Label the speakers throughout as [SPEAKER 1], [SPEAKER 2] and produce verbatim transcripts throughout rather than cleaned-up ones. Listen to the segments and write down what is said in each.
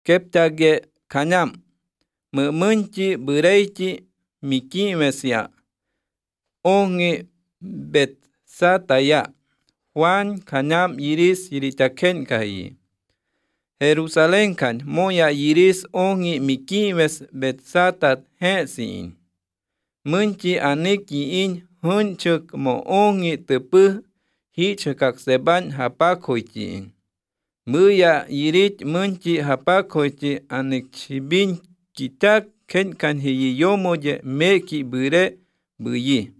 [SPEAKER 1] Keptage kanyam Mümünchi Büreichi Mikimesia Ongi Betsataya Juan kanyam yiris yiritaken kayi Jerusalén kan moya yiris ongi mikimes Betsatat hesin Münchi aniki in hunchuk mo ongi tepu hichakakseban hapakoichi Muya yirit münchi hapakoichi anikchibin kitak kenkan hiyiyomoye meki bure buyi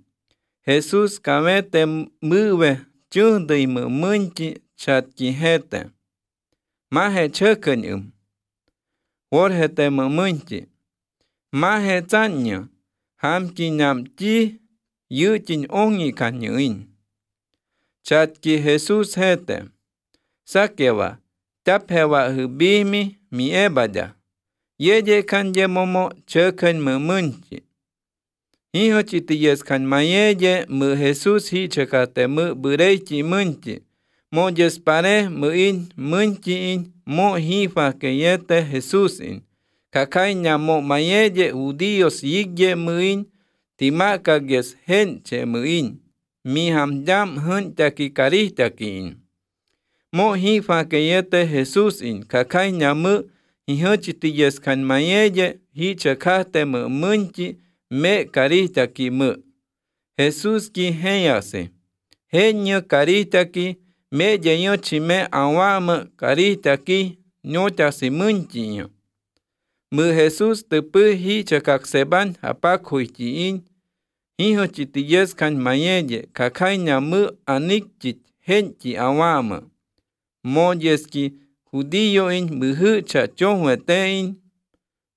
[SPEAKER 1] Jesús kamete muwe chundui münchi chatkihete Maje chökënyëm Jorgete mümünchi Maje tsañë Hamki ñamchi yëchin ongi kañëin Chatki Jesús jete Sakewa tapjewa jëbimi miebaya Yeye kanye momo chökën mümünchi Hijochitiyes kan mayeye mü Jesús hichakate mü bureichi münchi Moyes pare müin münchiin mo jifa keyete Jesús in Kakaiña mo mayeye judíos yigye müin timakages henche müin Mihamyam hüntaki karihtakiin Mo jifa keyete Jesús in Kakaiña mü hijochitiyes kan mayeye hichakate mü münchi me karihtaki mü Jesús ki heyase Heño karihtaki me yeño chime awame karihtaki ñotasi münchiño Mü Jesús tepu hichakakseban hapakuichiin hijochitiyes kan mayeye kakaiña mü anikchit henchi awame Moyeski judío in müjücha chojuetein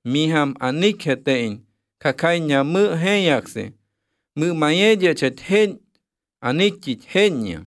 [SPEAKER 1] miham anikjetein kakaiña mü heyakse mü mayeye chet hen anikchit heño.